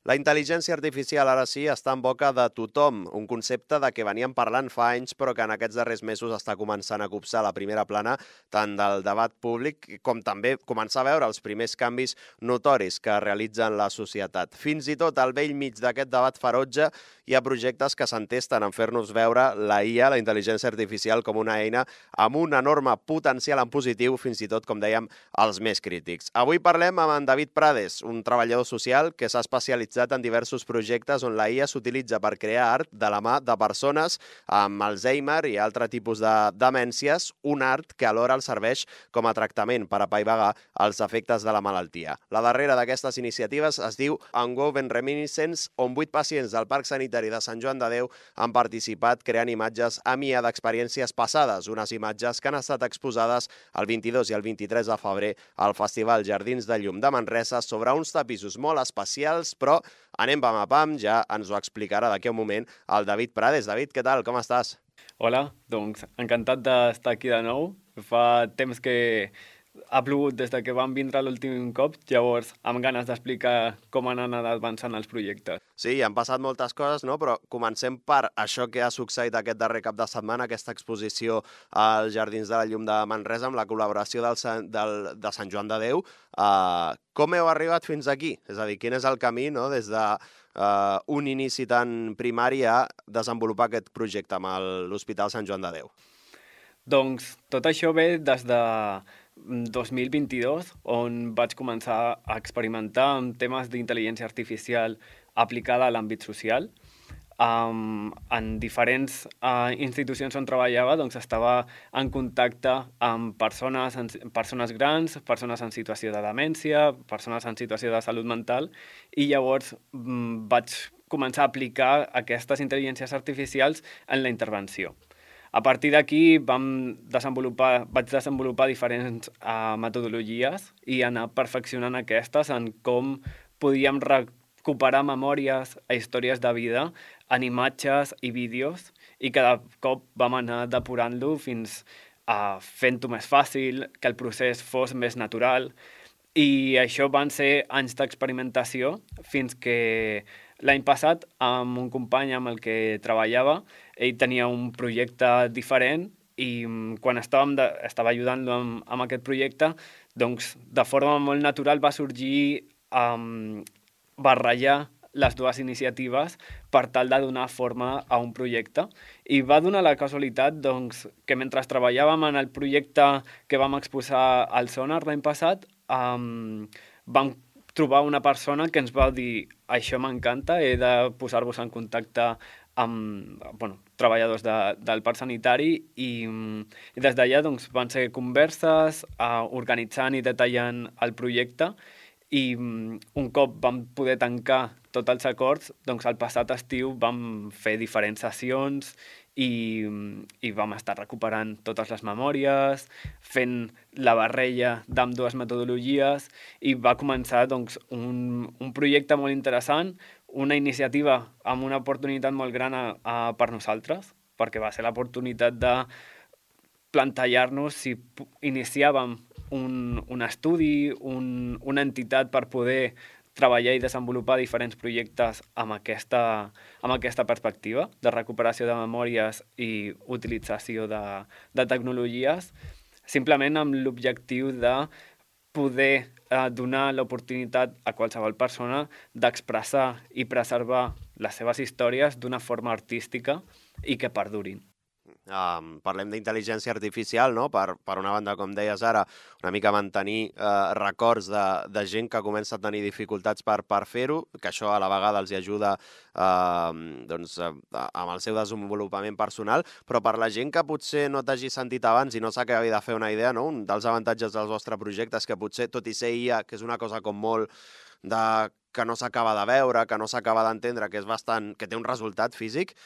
La intel·ligència artificial ara sí està en boca de tothom, un concepte de què veníem parlant fa anys però que en aquests darrers mesos està començant a copsar la primera plana tant del debat públic com també començar a veure els primers canvis notoris que realitzen la societat. Fins i tot al vell mig d'aquest debat ferotge hi ha projectes que s'entesten en fer-nos veure la IA, la intel·ligència artificial, com una eina amb un enorme potencial en positiu, fins i tot, com dèiem, els més crítics. Avui parlem amb en David Prades, un treballador social que s'ha especialitzat en diversos projectes on la IA s'utilitza per crear art de la mà de persones amb Alzheimer i altre tipus de demències, un art que alhora els serveix com a tractament per apaivagar els efectes de la malaltia. La darrera d'aquestes iniciatives es diu Unwoven Reminiscence, on 8 pacients del Parc Sanitari de Sant Joan de Déu han participat creant imatges amb IA d'experiències passades, unes imatges que han estat exposades el 22 i el 23 de febrer al Festival Jardins de Llum de Manresa sobre uns tapissos molt especials, però anem pam a pam, ja ens ho explicarà d'aquí a un moment el David Prades. David, què tal? Com estàs? Hola, doncs encantat d'estar aquí de nou. Fa temps que ha plogut des que vam vindre l'últim cop, llavors amb ganes d'explicar com han anat avançant els projectes. Sí, han passat moltes coses, no? Però comencem per això que ha succeït aquest darrer cap de setmana, aquesta exposició als Jardins de la Llum de Manresa amb la col·laboració de Sant Joan de Déu. Com heu arribat fins aquí? És a dir, quin és el camí, no?, des de un inici tan primari a desenvolupar aquest projecte amb l'Hospital Sant Joan de Déu? Doncs tot això ve des de 2022, on vaig començar a experimentar amb temes d'intel·ligència artificial aplicada a l'àmbit social. En diferents institucions on treballava, doncs estava en contacte amb persones grans, persones en situació de demència, persones en situació de salut mental, i llavors vaig començar a aplicar aquestes intel·ligències artificials en la intervenció. A partir d'aquí vaig desenvolupar diferents metodologies i anar perfeccionant aquestes en com podíem recuperar memòries a històries de vida en imatges i vídeos, i cada cop vam anar depurant-lo fins a fent-ho més fàcil, que el procés fos més natural, i això van ser anys d'experimentació fins que l'any passat, amb un company amb el que treballava, ell tenia un projecte diferent i quan estava ajudant-lo amb aquest projecte, doncs de forma molt natural va sorgir barrejar les dues iniciatives per tal de donar forma a un projecte. I va donar la casualitat doncs, que mentre treballàvem en el projecte que vam exposar al Sonar l'any passat, vam trobar una persona que ens va dir: això m'encanta, he de posar-vos en contacte amb treballadors del parc sanitari, i des d'allà doncs, van ser converses, organitzant i detallant el projecte, i un cop vam poder tancar tots els acords, doncs el passat estiu vam fer diferents sessions i vam estar recuperant totes les memòries, fent la barreja d'ambdues metodologies, i va començar doncs, un projecte molt interessant, una iniciativa amb una oportunitat molt gran per nosaltres, perquè va ser l'oportunitat de plantejar-nos si iniciàvem un estudi, una entitat per poder treballar i desenvolupar diferents projectes amb aquesta perspectiva de recuperació de memòries i utilització de tecnologies, simplement amb l'objectiu de poder donar l'oportunitat a qualsevol persona d'expressar i preservar les seves històries d'una forma artística i que perdurin. Parlem d'intel·ligència artificial, no? Per una banda, com deies ara, una mica mantenir records de gent que comença a tenir dificultats per fer-ho, que això a la vegada els ajuda amb el seu desenvolupament personal, però per la gent que potser no t'hagi sentit abans i no s'acabi de fer una idea, no? Un dels avantatges del vostre projecte és que potser, tot i ser IA, que és una cosa com molt que no s'acaba de veure, que no s'acaba d'entendre, que té un resultat físic,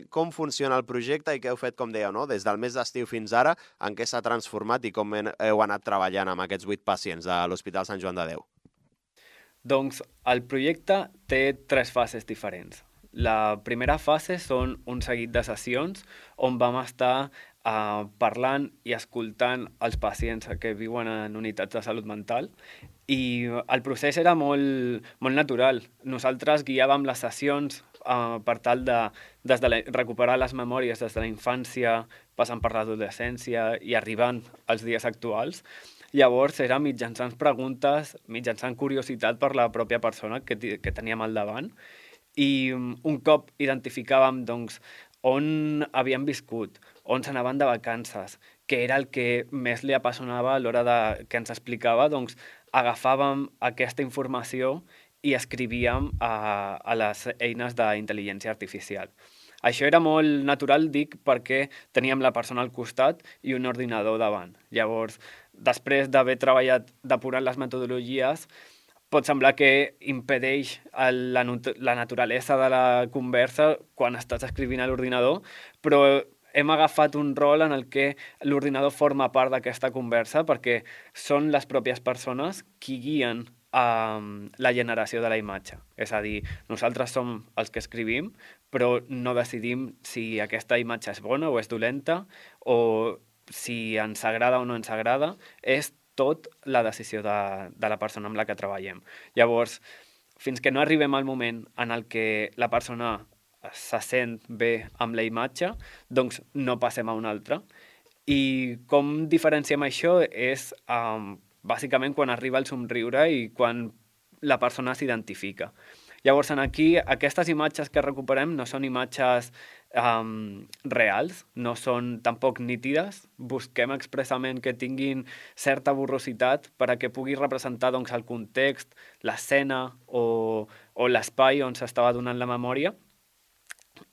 com funciona el projecte i què heu fet, com dèieu, no? Des del mes d'estiu fins ara, en què s'ha transformat i com heu anat treballant amb aquests 8 pacients de l'Hospital Sant Joan de Déu? Doncs el projecte té 3 fases diferents. La primera fase són un seguit de sessions on vam estar parlant i escoltant els pacients que viuen en unitats de salut mental, I el procés era molt, molt natural. Nosaltres guiàvem les sessions per tal de recuperar les memòries des de la infància, passant per l'adolescència i arribant als dies actuals. Llavors era mitjançant preguntes, mitjançant curiositat per la pròpia persona que teníem al davant, i un cop identificàvem doncs, on havien viscut, on s'anaven de vacances, què era el que més li apassionava a l'hora que ens explicava, doncs agafàvem aquesta informació i escrivíem a les eines d'intel·ligència artificial. Això era molt natural, dic, perquè teníem la persona al costat i un ordinador davant. Llavors, després d'haver treballat depurant les metodologies, pot semblar que impedeix la naturalesa de la conversa quan estàs escrivint a l'ordinador, però hem agafat un rol en el que l'ordinador forma part d'aquesta conversa perquè són les pròpies persones qui guien la generació de la imatge. És a dir, nosaltres som els que escrivim, però no decidim si aquesta imatge és bona o és dolenta, o si ens agrada o no ens agrada. És tot la decisió de la persona amb la que treballem. Llavors, fins que no arribem al moment en el que la persona se sent bé amb la imatge, doncs no passem a una altra. I com diferenciem això és bàsicament quan arriba el somriure i quan la persona s'identifica. Llavors, aquí, aquestes imatges que recuperem no són imatges reals, no són tampoc nítides. Busquem expressament que tinguin certa borrositat per a que pugui representar doncs, el context, l'escena o l'espai on s'estava donant la memòria,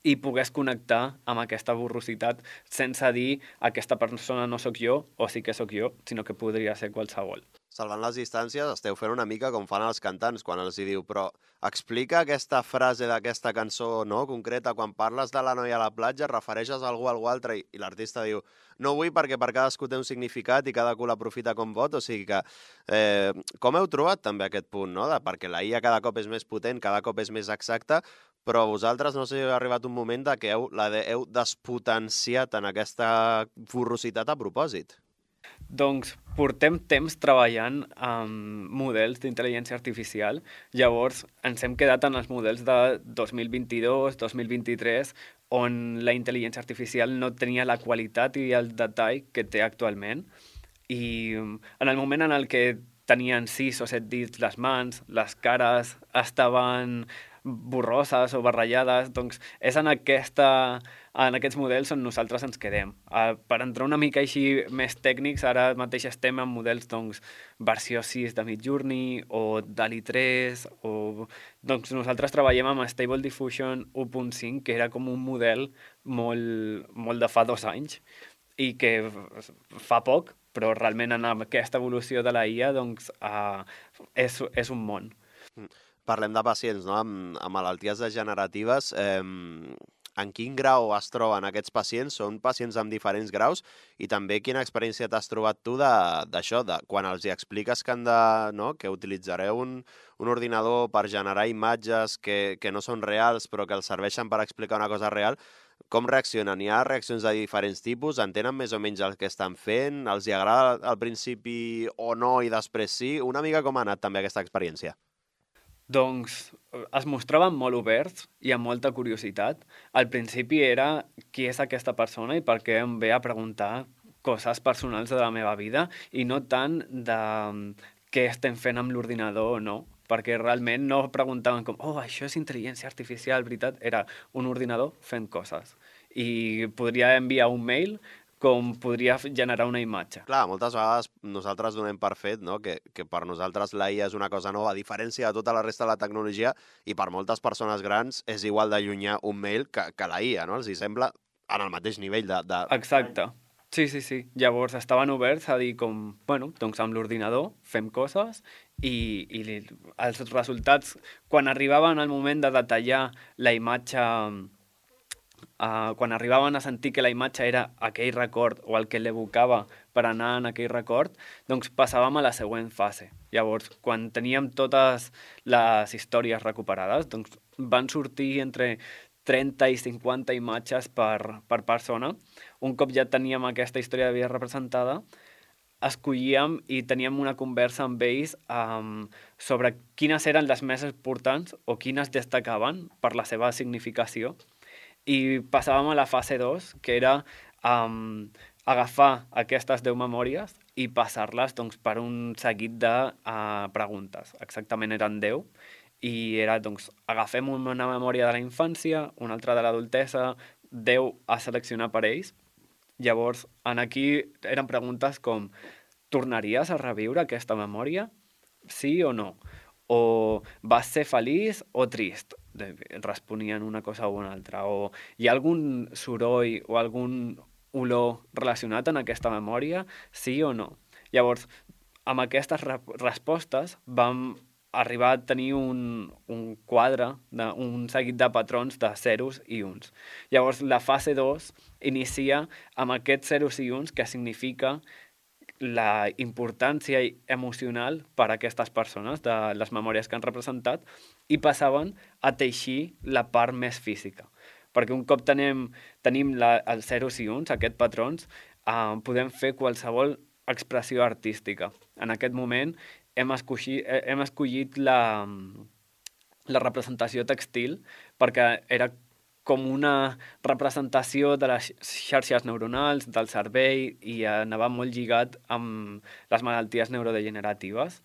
i pogués connectar amb aquesta borrositat sense dir aquesta persona no sóc jo o sí que sóc jo, sinó que podria ser qualsevol. Salvant les distàncies, esteu fent una mica com fan els cantants quan els hi diu, però explica aquesta frase d'aquesta cançó no, concreta, quan parles de la noia a la platja, refereixes a algú a algú altre i l'artista diu no vull perquè per cadascú té un significat i cada cul aprofita com pot, o sigui que com heu trobat també aquest punt, no? Perquè la IA cada cop és més potent, cada cop és més exacta, però vosaltres no sé si ha arribat un moment que heu despotenciat en aquesta borrositat a propòsit. Doncs portem temps treballant amb models d'intel·ligència artificial, llavors ens hem quedat en els models de 2022, 2023, on la intel·ligència artificial no tenia la qualitat i el detall que té actualment. I en el moment en el que tenien 6 o 7 dits les mans, les cares estaven borroses o barrejades, doncs és en aquests models on nosaltres ens quedem. Per entrar una mica així més tècnics, ara mateix estem en models doncs, versió 6 de Midjourney o DALL-E 3, doncs nosaltres treballem amb Stable Diffusion 1.5, que era com un model molt de fa 2 anys i que fa poc, però realment en aquesta evolució de la IA doncs, és un món. Parlem de pacients, no? Amb malalties degeneratives. En quin grau es troben aquests pacients? Són pacients amb diferents graus? I també quina experiència t'has trobat tu d'això, quan els hi expliques que que utilitzareu un ordinador per generar imatges que no són reals però que els serveixen per explicar una cosa real? Com reaccionen? Hi ha reaccions de diferents tipus? Entenen més o menys el que estan fent? Els hi agrada al principi o no i després sí? Una mica com ha anat també aquesta experiència? Doncs es mostraven molt oberts i amb molta curiositat. Al principi era qui és aquesta persona i per què em ve a preguntar coses personals de la meva vida i no tant de què estem fent amb l'ordinador o no, perquè realment no preguntaven com això és intel·ligència artificial, veritat? Era un ordinador fent coses. I podria enviar un mail com podria generar una imatge. Clar, moltes vegades nosaltres donem per fet que per nosaltres la IA és una cosa nova, a diferència de tota la resta de la tecnologia, i per moltes persones grans és igual de llunyà un mail que la IA, no? Els hi sembla en el mateix nivell de... Exacte. Sí. Llavors estaven oberts a dir com, doncs amb l'ordinador fem coses i els resultats, quan arribaven al moment de detallar la imatge, quan arribaven a sentir que la imatge era aquell record o el que l'evocava per anar en aquell record, doncs passàvem a la següent fase. Llavors, quan teníem totes les històries recuperades, doncs van sortir entre 30 i 50 imatges per persona. Un cop ja teníem aquesta història de vida representada, escollíem i teníem una conversa amb ells sobre quines eren les més importants o quines destacaven per la seva significació. I passàvem a la fase 2, que era agafar aquestes 10 memòries i passar-les doncs, per un seguit de preguntes. Exactament eren 10. I era, doncs, agafem una memòria de la infància, una altra de l'adultesa, 10 a seleccionar per ells. Llavors, aquí eren preguntes com: tornaries a reviure aquesta memòria? Sí o no? O vas ser feliç o trist? Responien una cosa o una altra. O hi ha algun soroll o algun olor relacionat en aquesta memòria? Sí o no? Llavors, amb aquestes respostes vam arribar a tenir un quadre, un seguit de patrons de zeros i uns. Llavors, la fase 2 inicia amb aquests zeros i uns, que significa la importància emocional per a aquestes persones, de les memòries que han representat, i passaven a teixir la part més física. Perquè un cop tenim els zeros i uns, aquests patrons, podem fer qualsevol expressió artística. En aquest moment hem escollit la representació textil perquè era com una representació de les xarxes neuronals, del cervell, i anava molt lligat amb les malalties neurodegeneratives.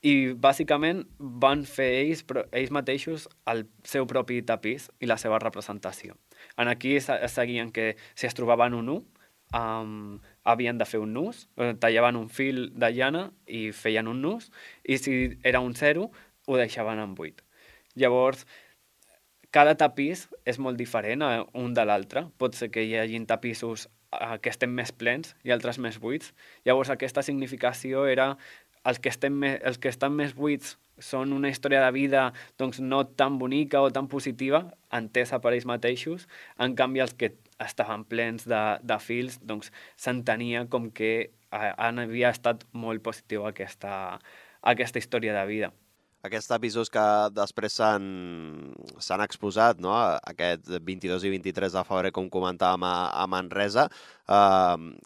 I bàsicament van fer ells mateixos el seu propi tapís i la seva representació. Aquí seguien que si es trobaven un 1, havien de fer un nus, tallaven un fil de llana i feien un nus, i si era un 0, ho deixaven en 8. Llavors, cada tapís és molt diferent un de l'altre. Pot ser que hi hagi tapissos que estem més plens i altres més buits. Llavors, aquesta significació era els que estan més buits són una història de vida doncs, no tan bonica o tan positiva, entesa per ells mateixos. En canvi, els que estaven plens de fils, doncs s'entenia com que havia estat molt positiu aquesta història de vida. Aquests tapissos que després s'han exposat, no? Aquest 22 i 23 de febrer, com comentàvem, a Manresa.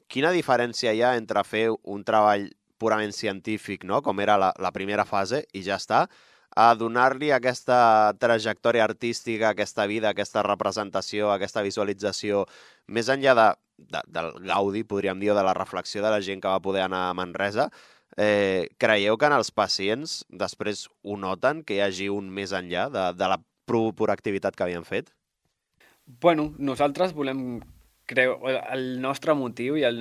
Quina diferència hi ha entre fer un treball purament científic, no? Com era la primera fase, i ja està, a donar-li aquesta trajectòria artística, aquesta vida, aquesta representació, aquesta visualització, més enllà del gaudi, podríem dir, o de la reflexió de la gent que va poder anar a Manresa? Creieu que en els pacients després ho noten, que hi hagi un més enllà de la pura activitat que havien fet? Bueno, nosaltres volem el nostre motiu i el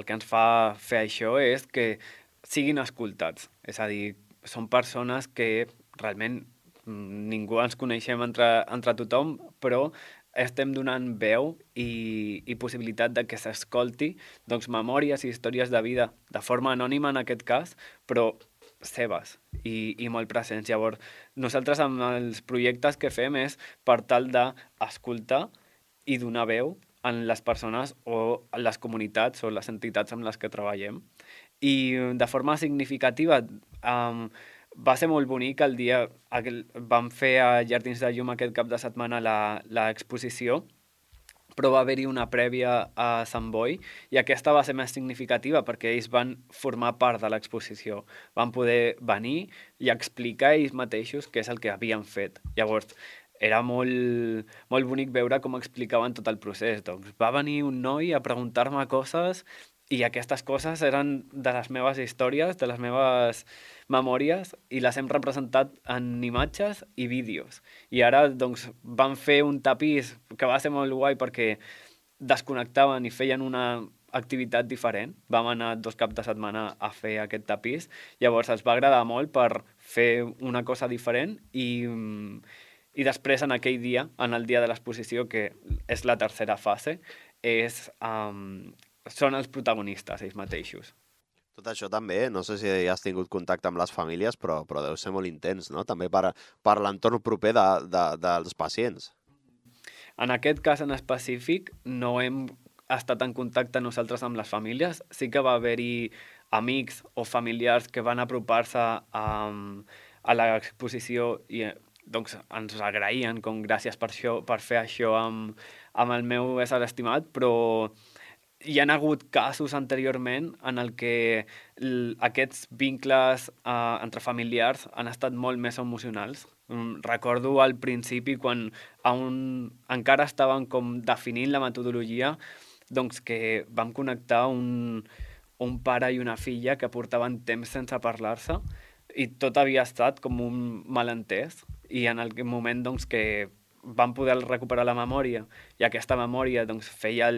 que ens fa fer això és que siguin escoltats. És a dir, són persones que realment ningú ens coneixem entre tothom, però estem donant veu i possibilitat de que s'escolti doncs, memòries i històries de vida, de forma anònima en aquest cas, però seves i molt presents. Llavors, nosaltres amb els projectes que fem és per tal d'escoltar i donar veu en les persones o en les comunitats o les entitats amb les que treballem. I de forma significativa va ser molt bonic el dia que vam fer a Jardins de Llum aquest cap de setmana l'exposició, però va haver-hi una prèvia a Sant Boi i aquesta va ser més significativa perquè ells van formar part de l'exposició. Van poder venir i explicar ells mateixos què és el que havien fet. Llavors, era molt, molt bonic veure com explicaven tot el procés. Doncs va venir un noi a preguntar-me coses i aquestes coses eren de les meves històries, de les meves memòries, i les hem representat en imatges i vídeos. I ara doncs, van fer un tapís que va ser molt guai perquè desconnectaven i feien una activitat diferent. Vam anar 2 caps de setmana a fer aquest tapís. Llavors els va agradar molt per fer una cosa diferent i després en aquell dia, en el dia de l'exposició, que és la tercera fase, són els protagonistes ells mateixos. Tot això també, no sé si has tingut contacte amb les famílies, però deu ser molt intens, no? També per l'entorn proper dels pacients. En aquest cas en específic no hem estat en contacte nosaltres amb les famílies. Sí que va haver-hi amics o familiars que van apropar-se a l'exposició i doncs, ens agraïen com gràcies per fer això amb el meu ésser estimat, però hi ha hagut casos anteriorment en el que aquests vincles entre familiars han estat molt més emocionals. Recordo al principi, quan encara estaven com definint la metodologia, doncs que vam connectar un pare i una filla que portaven temps sense parlar-se i tot havia estat com un malentès, i en aquell moment doncs, que van poder recuperar la memòria, i aquesta memòria doncs, feia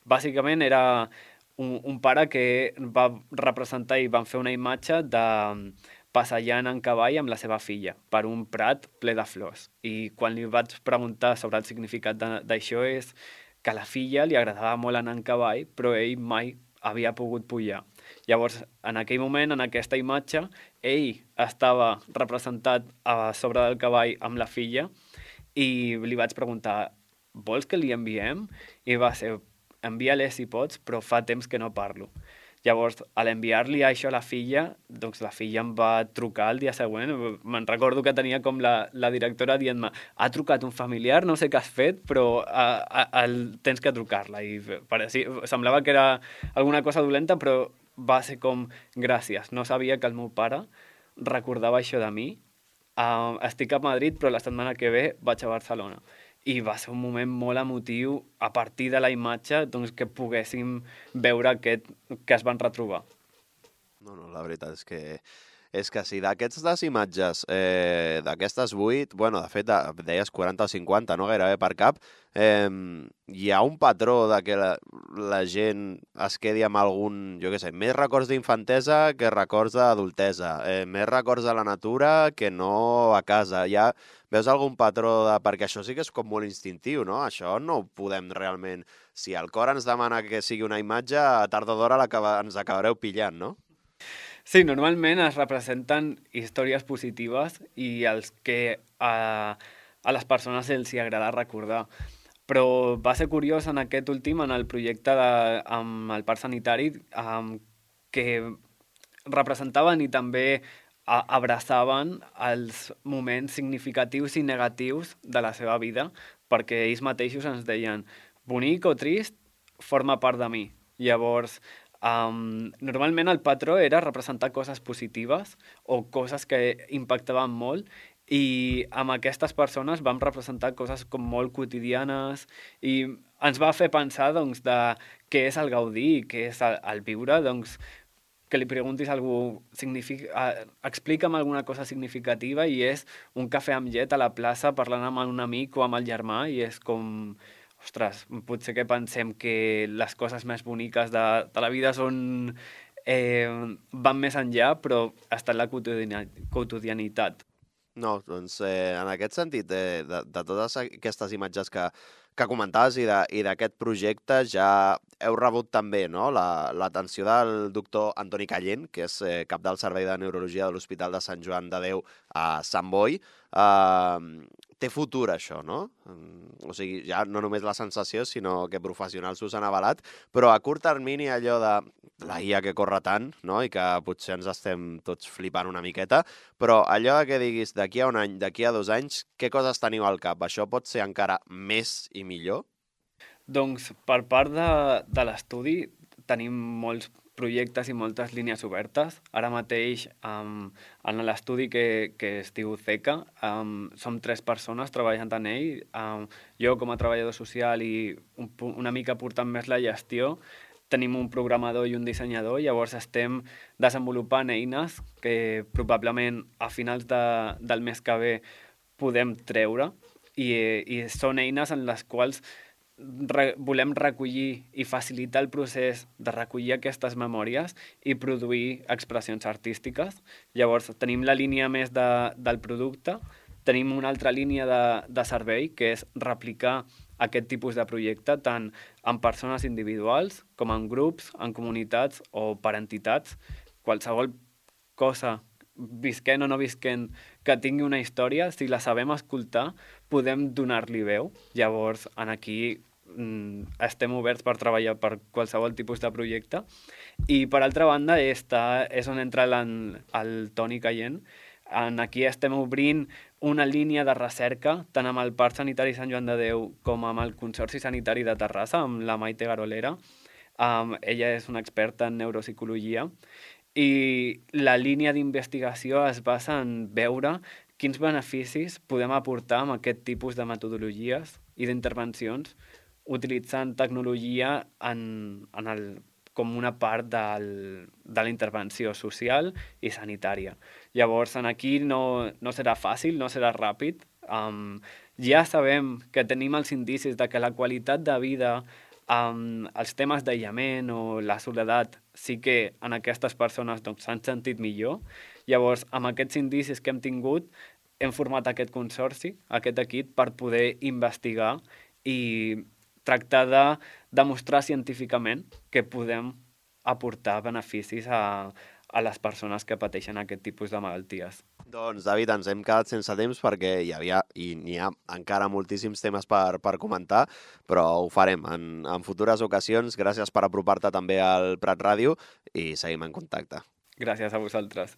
bàsicament era un pare que va representar i van fer una imatge de passejant en cavall amb la seva filla per un prat ple de flors. I quan li vaig preguntar sobre el significat d'això és que a la filla li agradava molt anar en cavall, però ell mai havia pogut pujar. Llavors, en aquell moment, en aquesta imatge, ell estava representat a sobre del cavall amb la filla i li vaig preguntar, vols que li enviem? I va ser, envia-li si pots, però fa temps que no parlo. Llavors, a l'enviar-li això a la filla, doncs la filla em va trucar el dia següent. Me'n recordo que tenia com la directora dient-me, ha trucat un familiar, no sé què has fet, però tens que trucar-la. I semblava que era alguna cosa dolenta, però va ser com, gràcies, no sabia que el meu pare recordava això de mi. Estic a Madrid, però la setmana que ve vaig a Barcelona. I va ser un moment molt emotiu a partir de la imatge, doncs, que poguéssim veure aquest que es van retrobar. No, la veritat és que sí, d'aquestes imatges, d'aquestes 8, bueno, de fet, deies 40 o 50, no gairebé per cap, hi ha un patró de que la gent es quedi amb algun, jo què sé, més records d'infantesa que records d'adultesa, més records de la natura que no a casa. Veus algun patró perquè això sí que és com molt instintiu, no? Això no ho podem realment... Si el cor ens demana que sigui una imatge, a tard o d'hora ens acabareu pillant, no? Sí, normalment es representen històries positives i els que a les persones els hi agrada recordar. Però va ser curiós en aquest últim, en el projecte amb el parc sanitari, que representaven i també abraçaven els moments significatius i negatius de la seva vida, perquè ells mateixos ens deien bonic o trist, forma part de mi. Llavors, normalment el patró era representar coses positives o coses que impactaven molt, i amb aquestes persones vam representar coses com molt quotidianes i ens va fer pensar doncs, de què és el gaudir i què és el viure, doncs, que li preguntis a algú, explica'm alguna cosa significativa, i és un cafè amb llet a la plaça parlant amb un amic o amb el germà, i és com, ostres, potser que pensem que les coses més boniques de la vida són, van més enllà, però està en la quotidianitat. No, doncs en aquest sentit, de totes aquestes imatges que comentaves i d'aquest projecte, ja heu rebut també, no?, l'atenció del doctor Antoni Callent, que és cap del Servei de Neurologia de l'Hospital de Sant Joan de Déu a Sant Boi. Té futur, això, no? O sigui, ja no només la sensació, sinó que professionals us han avalat, però a curt termini allò de la IA que corre tant, no?, i que potser ens estem tots flipant una miqueta, però allò que diguis d'aquí a un any, d'aquí a 2 anys, què coses teniu al cap? Això pot ser encara més i millor? Doncs per part de l'estudi tenim molts projectes i moltes línies obertes. Ara mateix, en l'estudi que es diu CECA, som 3 persones treballant en ell. Jo com a treballador social i una mica portant més la gestió, tenim un programador i un dissenyador, llavors estem desenvolupant eines que probablement a finals del mes que ve podem treure, i són eines en les quals volem recollir i facilitar el procés de recollir aquestes memòries i produir expressions artístiques. Llavors tenim la línia més del producte, tenim una altra línia de servei, que és replicar aquest tipus de projecte tant en persones individuals com en grups, en comunitats o per entitats. Qualsevol cosa, visquent o no visquent, que tingui una història, si la sabem escoltar, podem donar-li veu. Llavors, aquí estem oberts per treballar per qualsevol tipus de projecte. I, per altra banda, és on entra el Toni Callent, Aquí estem obrint una línia de recerca, tant amb el Parc Sanitari Sant Joan de Déu com amb el Consorci Sanitari de Terrassa, amb la Maite Garolera. Ella és una experta en neuropsicologia i la línia d'investigació es basa en veure quins beneficis podem aportar amb aquest tipus de metodologies i d'intervencions utilitzant tecnologia com una part de la intervenció social i sanitària. Llavors, aquí no serà fàcil, no serà ràpid. Ja sabem que tenim els indicis de que la qualitat de vida, els temes d'aïllament o la soledat sí que en aquestes persones s'han sentit millor. Llavors, amb aquests indicis que hem tingut, hem format aquest consorci, aquest equip, per poder investigar i tractar de demostrar científicament que podem aportar beneficis a les persones que pateixen aquest tipus de malalties. Doncs, David, ens hem quedat sense temps perquè hi havia i n'hi ha encara moltíssims temes per comentar, però ho farem en futures ocasions. Gràcies per apropar-te també al Prat Ràdio i seguim en contacte. Gràcies a vosaltres.